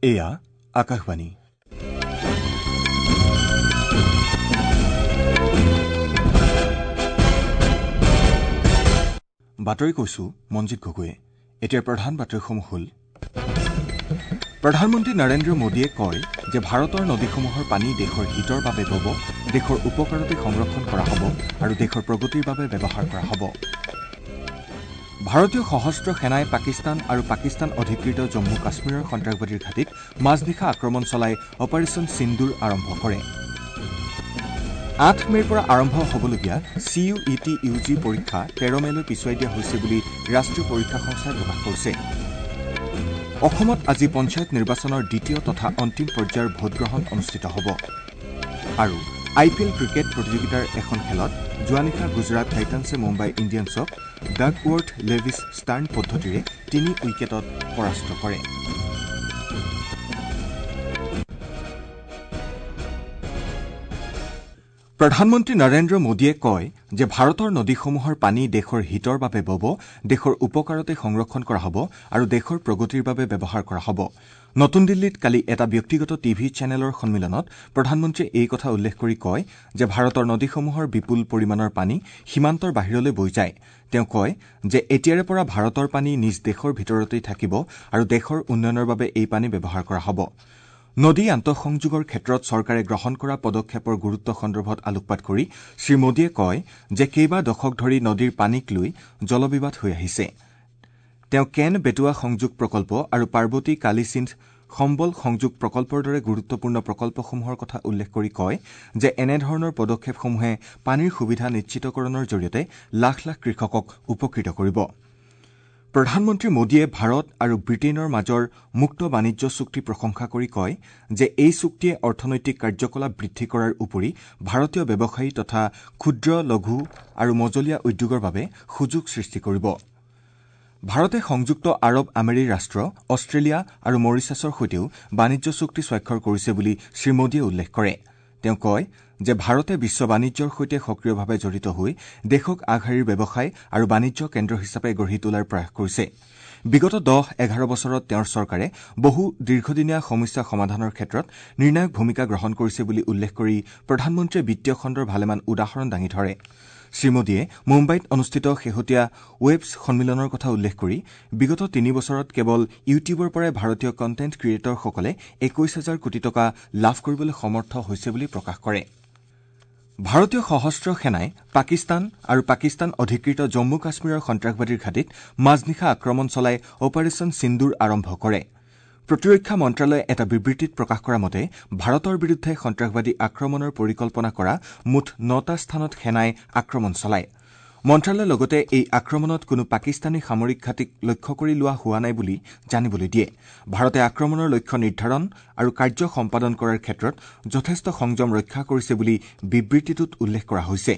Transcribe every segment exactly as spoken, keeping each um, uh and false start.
এয়া আকাশবাণী। বাতৰি কৈছো মঞ্জিত গগৈয়ে। এতিয়া প্ৰধান বাতৰিসমূহ হ'ল: প্ৰধানমন্ত্ৰী নৰেন্দ্ৰ মোদীয়ে কয় যে ভাৰতৰ নদীসমূহৰ পানী দেশৰ হিতৰ বাবে বব, দেশৰ উপকাৰতে সংৰক্ষণ কৰা হ'ব আৰু দেশৰ প্ৰগতিৰ বাবে ব্যৱহাৰ কৰা হ'ব। ভাৰতীয় সশস্ত্ৰ সেনাই পাকিস্তান আৰু পাকিস্তান অধিকৃত জম্মু কাশ্মীৰৰ সন্ত্ৰাসবাদীৰ ঘাটিত মাজনিশা আক্ৰমণ চলাই অপাৰেচন সিন্দুৰ আৰম্ভ কৰে। আঠ মে'ৰ পৰা আৰম্ভ হ'বলগীয়া C U E T U G পৰীক্ষা তেৰ মে'লৈ পিছুৱাই দিয়া হৈছে বুলি ৰাষ্ট্ৰীয় পৰীক্ষা সংস্থাই প্ৰকাশ কৰিছে। অসমত আজি পঞ্চায়ত নিৰ্বাচনৰ দ্বিতীয় তথা অন্তিম পৰ্যায়ৰ ভোটগ্ৰহণ অনুষ্ঠিত হ'ব। আৰু আই পি এল ক্ৰিকেট প্ৰতিযোগিতাৰ এখন খেলত যোৱা নিশা গুজৰাট টাইটানছে মুম্বাই ইণ্ডিয়ানছক ডাকৱৰ্থ লেভিছ ষ্টাৰ্ণ পদ্ধতিৰে তিনি উইকেটত পৰাস্ত কৰে। প্ৰধানমন্ত্ৰী নৰেন্দ্ৰ মোদীয়ে কয় যে ভাৰতৰ নদীসমূহৰ পানী দেশৰ হিতৰ বাবে বব, দেশৰ উপকাৰতে সংৰক্ষণ কৰা হ'ব আৰু দেশৰ প্ৰগতিৰ বাবে ব্যৱহাৰ কৰা হ'ব। নতুন দিল্লীত কালি এটা ব্যক্তিগত টিভি চেনেলৰ সন্মিলনত প্ৰধানমন্ত্ৰীয়ে এই কথা উল্লেখ কৰি কয় যে ভাৰতৰ নদীসমূহৰ বিপুল পৰিমাণৰ পানী সীমান্তৰ বাহিৰলৈ বৈ যায়। তেওঁ কয় যে এতিয়াৰে পৰা ভাৰতৰ পানী নিজ দেশৰ ভিতৰতেই থাকিব আৰু দেশৰ উন্নয়নৰ বাবে এই পানী ব্যৱহাৰ কৰা হ'ব। নদী আন্তঃসংযোগৰ ক্ষেত্ৰত চৰকাৰে গ্ৰহণ কৰা পদক্ষেপৰ গুৰুত্ব সন্দৰ্ভত আলোকপাত কৰি শ্ৰীমোদীয়ে কয় যে কেইবা দশক ধৰি নদীৰ পানীক লৈ জলবিবাদ হৈ আহিছে। তেওঁ কেন বেটুৱা সংযোগ প্ৰকল্প আৰু পাৰ্বতী কালিসিন্ধ সম্বল সংযোগ প্ৰকল্পৰ দৰে গুৰুত্বপূৰ্ণ প্ৰকল্পসমূহৰ কথা উল্লেখ কৰি কয় যে এনেধৰণৰ পদক্ষেপসমূহে পানীৰ সুবিধা নিশ্চিতকৰণৰ জৰিয়তে লাখ লাখ কৃষকক উপকৃত কৰিব। প্ৰধানমন্ত্ৰী মোদীয়ে ভাৰত আৰু ব্ৰিটেইনৰ মাজৰ মুক্ত বাণিজ্য চুক্তি প্ৰশংসা কৰি কয় যে এই চুক্তিয়ে অৰ্থনৈতিক কাৰ্যকলাপ বৃদ্ধি কৰাৰ উপৰি ভাৰতীয় ব্যৱসায়ী তথা ক্ষুদ্ৰ, লঘু আৰু মজলীয়া উদ্যোগৰ বাবে সুযোগ সৃষ্টি কৰিব। ভাৰতে সংযুক্ত আৰৱ আমেৰি ৰাষ্ট্ৰ, অষ্ট্ৰেলিয়া আৰু মৰিচাছৰ সৈতেও বাণিজ্য চুক্তি স্বাক্ষৰ কৰিছে বুলি শ্ৰীমোদীয়ে উল্লেখ কৰে। তেওঁ কয় যে ভাৰতে বিশ্ব বাণিজ্যৰ সৈতে সক্ৰিয়ভাৱে জড়িত হৈ দেশক আগশাৰীৰ ব্যৱসায় আৰু বাণিজ্য কেন্দ্ৰ হিচাপে গঢ়ি তোলাৰ প্ৰয়াস কৰিছে। বিগত দহ এঘাৰ বছৰত তেওঁৰ চৰকাৰে বহু দীৰ্ঘদিনীয়া সমস্যা সমাধানৰ ক্ষেত্ৰত নিৰ্ণায়ক ভূমিকা গ্ৰহণ কৰিছে বুলি উল্লেখ কৰি প্ৰধানমন্ত্ৰীয়ে বিত্তীয় খণ্ডৰ ভালেমান উদাহৰণ দাঙি ধৰে। শ্ৰীমোদীয়ে মুম্বাইত অনুষ্ঠিত শেহতীয়া ৱেবছ সন্মিলনৰ কথা উল্লেখ কৰি বিগত তিনি বছৰত কেৱল ইউটিউবৰ পৰাই ভাৰতীয় কণ্টেণ্ট ক্ৰিয়েটৰসকলে একৈশ হাজাৰ কোটি টকা লাভ কৰিবলৈ সমৰ্থ হৈছে বুলি প্ৰকাশ কৰে। ভাৰতীয় সশস্ত্ৰ সেনাই পাকিস্তান আৰু পাকিস্তান অধিকৃত জম্মু কাশ্মীৰৰ সন্ত্ৰাসবাদীৰ ঘাটিত মাজনিশা আক্ৰমণ চলাই অপাৰেচন সিন্দুৰ আৰম্ভ কৰে। প্ৰতিৰক্ষা মন্ত্ৰালয়ে এটা বিবৃতিত প্ৰকাশ কৰা মতে ভাৰতৰ বিৰুদ্ধে সন্ত্ৰাসবাদী আক্ৰমণৰ পৰিকল্পনা কৰা মুঠ নটা স্থানত সেনাই আক্ৰমণ চলায়। মন্ত্ৰালয়ে লগতে এই আক্ৰমণত কোনো পাকিস্তানী সামৰিক ঘাটিক লক্ষ্য কৰি লোৱা হোৱা নাই বুলি জানিবলৈ দিয়ে। ভাৰতে আক্ৰমণৰ লক্ষ্য নিৰ্ধাৰণ আৰু কাৰ্য সম্পাদন কৰাৰ ক্ষেত্ৰত যথেষ্ট সংযম ৰক্ষা কৰিছে বুলি বিবৃতিটোত উল্লেখ কৰা হৈছে।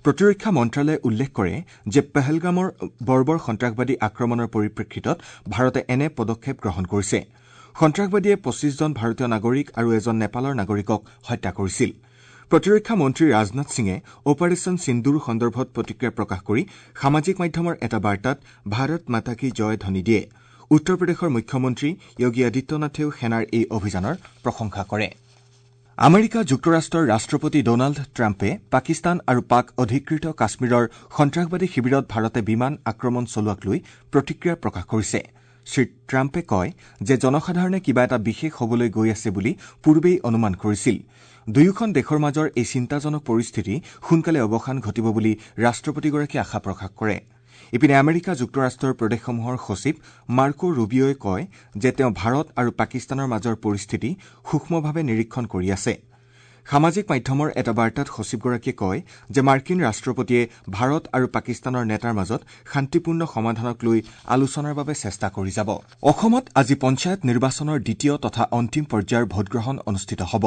প্ৰতিৰক্ষা মন্ত্ৰালয়ে উল্লেখ কৰে যে পেহেলগামৰ বৰ্বৰ সন্ত্ৰাসবাদী আক্ৰমণৰ পৰিপ্ৰেক্ষিতত ভাৰতে এনে পদক্ষেপ গ্ৰহণ কৰিছে। সন্ত্ৰাসবাদীয়ে পঁচিছজন ভাৰতীয় নাগৰিক আৰু এজন নেপালৰ নাগৰিকক হত্যা কৰিছিল। প্ৰতিৰক্ষা মন্ত্ৰী ৰাজনাথ সিঙে অপাৰেচন সিন্দুৰ সন্দৰ্ভত প্ৰতিক্ৰিয়া প্ৰকাশ কৰি সামাজিক মাধ্যমৰ এটা বাৰ্তাত ভাৰত মাতা কি জয় ধ্বনি দিয়ে। উত্তৰ প্ৰদেশৰ মুখ্যমন্ত্ৰী যোগী আদিত্যনাথেও সেনাৰ এই অভিযানৰ প্ৰশংসা কৰে। আমেৰিকা যুক্তৰাষ্ট্ৰৰ ৰাষ্ট্ৰপতি ডনাল্ড ট্ৰাম্পে পাকিস্তান আৰু পাক অধিকৃত কাশ্মীৰৰ সন্ত্ৰাসবাদী শিবিৰত ভাৰতে বিমান আক্ৰমণ চলোৱাক লৈ প্ৰতিক্ৰিয়া প্ৰকাশ কৰিছে। শ্ৰীট্ৰাম্পে কয় যে জনসাধাৰণে কিবা এটা বিশেষ হ'বলৈ গৈ আছে বুলি পূৰ্বেই অনুমান কৰিছিল। দুয়োখন দেশৰ মাজৰ এই চিন্তাজনক পৰিস্থিতি সোনকালে অৱসান ঘটিব বুলি ৰাষ্ট্ৰপতিগৰাকীয়ে আশা প্ৰকাশ কৰে। ইপিনে আমেৰিকা যুক্তৰাষ্ট্ৰৰ প্ৰদেশসমূহৰ সচিব মাৰ্কো ৰুবিঅ'ই কয় যে তেওঁ ভাৰত আৰু পাকিস্তানৰ মাজৰ পৰিস্থিতি সূক্ষ্মভাৱে নিৰীক্ষণ কৰি আছে। সামাজিক মাধ্যমৰ এটা বাৰ্তাত সচিবগৰাকীয়ে কয় যে মাৰ্কিন ৰাষ্ট্ৰপতিয়ে ভাৰত আৰু পাকিস্তানৰ নেতাৰ মাজত শান্তিপূৰ্ণ সমাধানক লৈ আলোচনাৰ বাবে চেষ্টা কৰি যাব। অসমত আজি পঞ্চায়ত নিৰ্বাচনৰ দ্বিতীয় তথা অন্তিম পৰ্যায়ৰ ভোটগ্ৰহণ অনুষ্ঠিত হ'ব।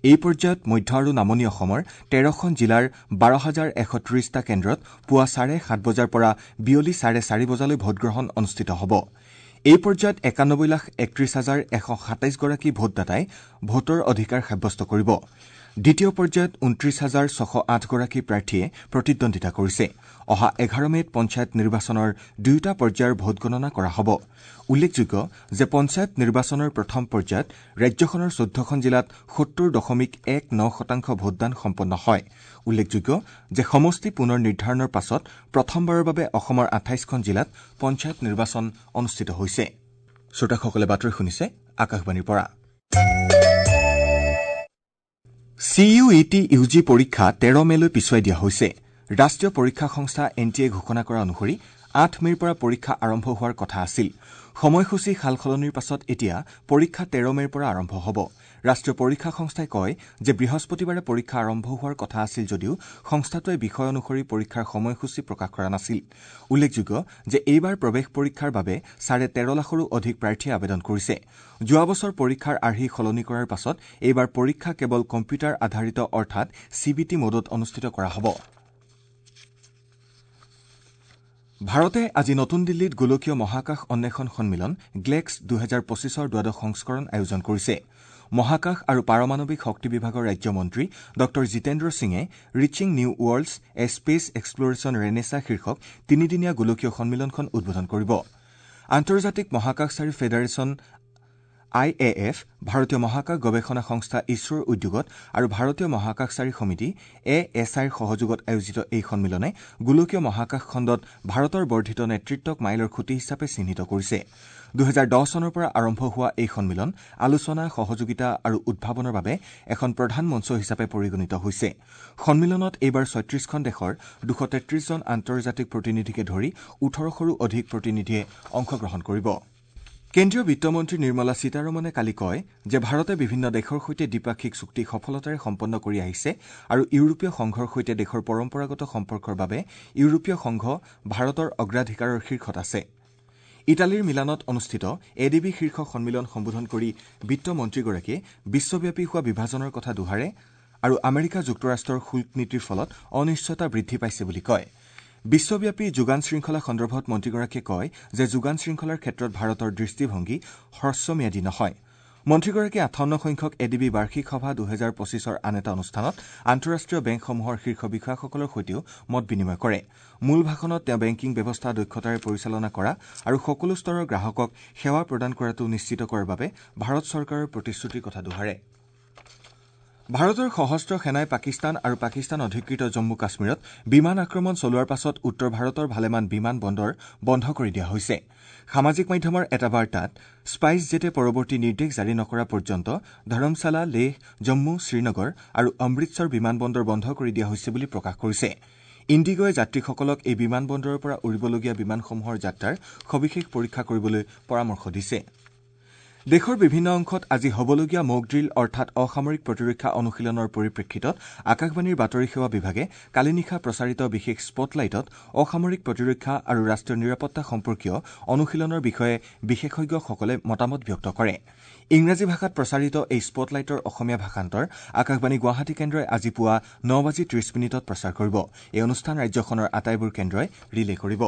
এই পৰ্যায়ত মধ্য আৰু নামনি অসমৰ তেৰখন জিলাৰ বাৰ হাজাৰ এশ ত্ৰিশটা কেন্দ্ৰত পুৱা চাৰে সাত বজাৰ পৰা বিয়লি চাৰে চাৰি বজালৈ ভোটগ্ৰহণ অনুষ্ঠিত হ'ব। এই পৰ্যায়ত একানব্বৈ লাখ একত্ৰিশ হাজাৰ এশ সাতাইছগৰাকী ভোটদাতাই ভোটৰ অধিকাৰ সাব্যস্ত কৰিব। দ্বিতীয় পৰ্যায়ত ঊনত্ৰিশ হাজাৰ ছশ আঠগৰাকী প্ৰাৰ্থীয়ে প্ৰতিদ্বন্দ্বিতা কৰিছে। অহা এঘাৰ মে'ত পঞ্চায়ত নিৰ্বাচনৰ দুয়োটা পৰ্যায়ৰ ভোটগণনা কৰা হ'ব। উল্লেখযোগ্য যে পঞ্চায়ত নিৰ্বাচনৰ প্ৰথম পৰ্যায়ত ৰাজ্যখনৰ চৈধ্যখন জিলাত সত্তৰ দশমিক এক ন শতাংশ ভোটদান সম্পন্ন হয়। উল্লেখযোগ্য যে সমষ্টি পুনৰ নিৰ্ধাৰণৰ পাছত প্ৰথমবাৰৰ বাবে অসমৰ আঠাইছখন জিলাত পঞ্চায়ত নিৰ্বাচন অনুষ্ঠিত হৈছে। শ্ৰোতাসকলে বাতৰি শুনিছে আকাশবাণীৰ পৰা। C U E T U G পৰীক্ষা তেৰ মে'লৈ পিছুৱাই দিয়া হৈছে। ৰাষ্ট্ৰীয় পৰীক্ষা সংস্থা এন টি এ ঘোষণা কৰা অনুসৰি আঠ মে'ৰ পৰা পৰীক্ষা আৰম্ভ হোৱাৰ কথা আছিল। সময়সূচী সালসলনিৰ পাছত এতিয়া পৰীক্ষা তেৰ মে'ৰ পৰা আৰম্ভ হ'ব। ৰাষ্ট্ৰীয় পৰীক্ষা সংস্থাই কয় যে বৃহস্পতিবাৰে পৰীক্ষা আৰম্ভ হোৱাৰ কথা আছিল যদিও সংস্থাটোৱে বিষয় অনুসৰি পৰীক্ষাৰ সময়সূচী প্ৰকাশ কৰা নাছিল। উল্লেখযোগ্য যে এইবাৰ প্ৰৱেশ পৰীক্ষাৰ বাবে চাৰে তেৰ লাখৰো অধিক প্ৰাৰ্থীয়ে আবেদন কৰিছে। যোৱা বছৰ পৰীক্ষাৰ আৰ্হি সলনি কৰাৰ পাছত এইবাৰ পৰীক্ষা কেৱল কম্পিউটাৰ আধাৰিত অৰ্থাৎ চি বি টি মোডত অনুষ্ঠিত কৰা হ'ব। ভাৰতে আজি নতুন দিল্লীত গোলকীয় মহাকাশ অন্বেষণ সন্মিলন গ্লেক্স দুহেজাৰ পঁচিছৰ দ্বাদশ সংস্কৰণ আয়োজন কৰিছে। মহাকাশ আৰু পাৰমাণৱিক শক্তি বিভাগৰ ৰাজ্যমন্ত্ৰী ডঃ জিতেন্দ্ৰ সিঙে reaching new worlds a space exploration renaissance শীৰ্ষক তিনিদিনীয়া গোলকীয় সন্মিলনখন উদ্বোধন কৰিব। আন্তৰ্জাতিক মহাকাশচাৰী ফেডাৰেচন I A F, ভাৰতীয় মহাকাশ গৱেষণা সংস্থা ইছৰোৰ উদ্যোগত আৰু ভাৰতীয় মহাকাশচাৰী সমিতি এ এছ আইৰ সহযোগত আয়োজিত এই সন্মিলনে গোলকীয় মহাকাশ খণ্ডত ভাৰতৰ বৰ্ধিত নেতৃত্বক মাইলৰ খুঁটি হিচাপে চিহ্নিত কৰিছে। দুহেজাৰ দহ চনৰ পৰা আৰম্ভ হোৱা এই সন্মিলন আলোচনা, সহযোগিতা আৰু উদ্ভাৱনৰ বাবে এখন প্ৰধান মঞ্চ হিচাপে পৰিগণিত হৈছে। সন্মিলনত এইবাৰ ছয়ত্ৰিশখন দেশৰ দুশ তেত্ৰিশজন আন্তৰ্জাতিক প্ৰতিনিধিকে ধৰি ওঠৰশৰো অধিক প্ৰতিনিধিয়ে অংশগ্ৰহণ কৰিব। কেন্দ্ৰীয় বিত্তমন্ত্ৰী নিৰ্মলা সীতাৰমণে কালি কয় যে ভাৰতে বিভিন্ন দেশৰ সৈতে দ্বিপাক্ষিক চুক্তি সফলতাৰে সম্পন্ন কৰি আহিছে আৰু ইউৰোপীয় সংঘৰ সৈতে দেশৰ পৰম্পৰাগত সম্পৰ্কৰ বাবে ইউৰোপীয় সংঘ ভাৰতৰ অগ্ৰাধিকাৰৰ শীৰ্ষত আছে। ইটালীৰ মিলানত অনুষ্ঠিত এ ডি বি শীৰ্ষ সন্মিলন সম্বোধন কৰি বিত্তমন্ত্ৰীগৰাকীয়ে বিশ্বব্যাপী হোৱা বিভাজনৰ কথা দোহাৰে আৰু আমেৰিকা যুক্তৰাষ্ট্ৰৰ শুল্ক নীতিৰ ফলত অনিশ্চয়তা বৃদ্ধি পাইছে বুলি কয়। বিশ্বব্যাপী যোগান শৃংখলা সন্দৰ্ভত মন্ত্ৰীগৰাকীয়ে কয় যে যোগান শৃংখলাৰ ক্ষেত্ৰত ভাৰতৰ দৃষ্টিভংগী হ্ৰস্বম্যাদী নহয়। মন্ত্ৰীগৰাকীয়ে আঠাৱন্ন সংখ্যক এ ডি বি বাৰ্ষিক সভা দুহেজাৰ পঁচিছৰ আন এটা অনুষ্ঠানত আন্তঃৰাষ্ট্ৰীয় বেংকসমূহৰ শীৰ্ষ বিষয়াসকলৰ সৈতেও মত বিনিময় কৰে। মূল ভাষণত তেওঁ বেংকিং ব্যৱস্থা দক্ষতাৰে পৰিচালনা কৰা আৰু সকলো স্তৰৰ গ্ৰাহকক সেৱা প্ৰদান কৰাটো নিশ্চিত কৰাৰ বাবে ভাৰত চৰকাৰৰ প্ৰতিশ্ৰুতিৰ কথা দোহাৰে। ভাৰতৰ সশস্ত্ৰ সেনাই পাকিস্তান আৰু পাকিস্তান অধিকৃত জম্মু কাশ্মীৰত বিমান আক্ৰমণ চলোৱাৰ পাছত উত্তৰ ভাৰতৰ ভালেমান বিমান বন্দৰ বন্ধ কৰি দিয়া হৈছে। সামাজিক মাধ্যমৰ এটা বাৰ্তাত স্পাইচ জেটে পৰৱৰ্তী নিৰ্দেশ জাৰি নকৰা পৰ্যন্ত ধৰমশালা, লেহ, জম্মু, শ্ৰীনগৰ আৰু অমৃতসৰ বিমান বন্দৰ বন্ধ কৰি দিয়া হৈছে বুলি প্ৰকাশ কৰিছে। ইণ্ডিগ'য়ে যাত্ৰীসকলক এই বিমান বন্দৰৰ পৰা উৰিবলগীয়া বিমানসমূহৰ যাত্ৰাৰ সবিশেষ পৰীক্ষা কৰিবলৈ পৰামৰ্শ দিছে। দেশৰ বিভিন্ন অংশত আজি হ'বলগীয়া মক ড্ৰিল অৰ্থাৎ অসামৰিক প্ৰতিৰক্ষা অনুশীলনৰ পৰিপ্ৰেক্ষিতত আকাশবাণীৰ বাতৰি সেৱা বিভাগে কালি নিশা প্ৰচাৰিত বিশেষ স্পটলাইটত অসামৰিক প্ৰতিৰক্ষা আৰু ৰাষ্ট্ৰীয় নিৰাপত্তা সম্পৰ্কীয় অনুশীলনৰ বিষয়ে বিশেষজ্ঞসকলে মতামত ব্যক্ত কৰে। ইংৰাজী ভাষাত প্ৰচাৰিত এই স্পটলাইটৰ অসমীয়া ভাষান্তৰ আকাশবাণী গুৱাহাটী কেন্দ্ৰই আজি পুৱা ন বাজি ত্ৰিশ মিনিটত প্ৰচাৰ কৰিব। এই অনুষ্ঠান ৰাজ্যখনৰ আটাইবোৰ কেন্দ্ৰই ৰিলে কৰিব।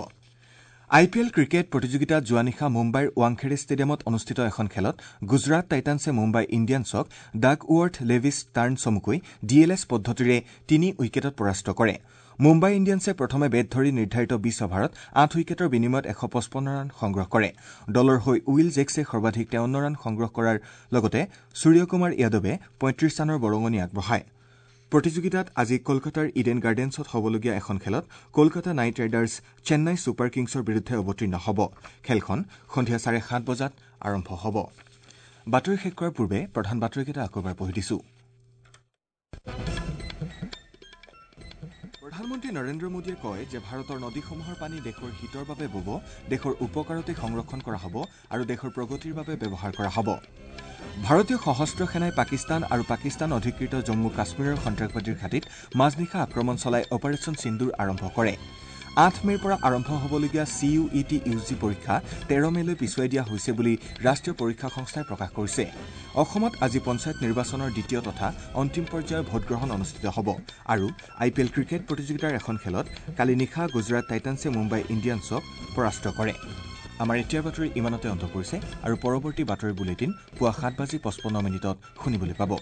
আই পি এল ক্ৰিকেট প্ৰতিযোগিতাত যোৱা নিশা মুম্বাইৰ ৱাংখেড়ে ষ্টেডিয়ামত অনুষ্ঠিত এখন খেলত গুজৰাট টাইটানছে মুম্বাই ইণ্ডিয়ানছক ডাকৱৰ্থ লেভিছ টাৰ্ণ চমুকৈ ডি এল এছ পদ্ধতিৰে তিনি উইকেটত পৰাস্ত কৰে। মুম্বাই ইণ্ডিয়ানছে প্ৰথমে বেট ধৰি নিৰ্ধাৰিত বিশ অভাৰত আঠ উইকেটৰ বিনিময়ত এশ পঁচপন্ন ৰান সংগ্ৰহ কৰে। দলৰ হৈ will জেক্সে সৰ্বাধিক তেৱন্ন ৰান সংগ্ৰহ কৰাৰ লগতে সূৰ্যকুমাৰ যাদৱে পঁয়ত্ৰিশ ৰানৰ বৰঙণি আগবঢ়ায়। প্ৰতিযোগিতাত আজি কলকাতাৰ ইডেন গাৰ্ডেন্সত হ'বলগীয়া এখন খেলত Kolkata knight riders Chennai super কিংছৰ বিৰুদ্ধে অৱতীৰ্ণ হ'ব। খেলখন সন্ধিয়া চাৰে সাত বজাত আৰম্ভ হ'ব। বাতৰি শেষ কৰাৰ পূৰ্বে প্ৰধান বাতৰিকেইটা আকৌ এবাৰ পঢ়ি দিছো। প্ৰধানমন্ত্ৰী নৰেন্দ্ৰ মোদীয়ে কয় যে ভাৰতৰ নদীসমূহৰ পানী দেশৰ হিতৰ বাবে বব, দেশৰ উপকাৰতে সংৰক্ষণ কৰা হ'ব আৰু দেশৰ প্ৰগতিৰ বাবে ব্যৱহাৰ কৰা হ'ব। ভাৰতীয় সশস্ত্ৰ সেনাই পাকিস্তান আৰু পাকিস্তান অধিকৃত জম্মু কাশ্মীৰৰ সন্ত্ৰাসবাদীৰ ঘাটিত মাজনিশা আক্ৰমণ চলাই অপাৰেচন সিন্দুৰ আৰম্ভ কৰে। আঠ মে'ৰ পৰা আৰম্ভ হ'বলগীয়া C U E T U G পৰীক্ষা তেৰ মে'লৈ পিছুৱাই দিয়া হৈছে বুলি ৰাষ্ট্ৰীয় পৰীক্ষা সংস্থাই প্ৰকাশ কৰিছে। অসমত আজি পঞ্চায়ত নিৰ্বাচনৰ দ্বিতীয় তথা অন্তিম পৰ্যায়ৰ ভোটগ্ৰহণ অনুষ্ঠিত হ'ব আৰু আই পি এল ক্ৰিকেট প্ৰতিযোগিতাৰ এখন খেলত কালি নিশা গুজৰাট টাইটানছে মুম্বাই ইণ্ডিয়ানছক পৰাস্ত কৰে। আমাৰ এতিয়াৰ বাতৰি ইমানতে অন্ত পৰিছে আৰু পৰৱৰ্তী বাতৰি বুলেটিন পুৱা সাত বাজি পঁচপন্ন মিনিটত শুনিবলৈ পাব।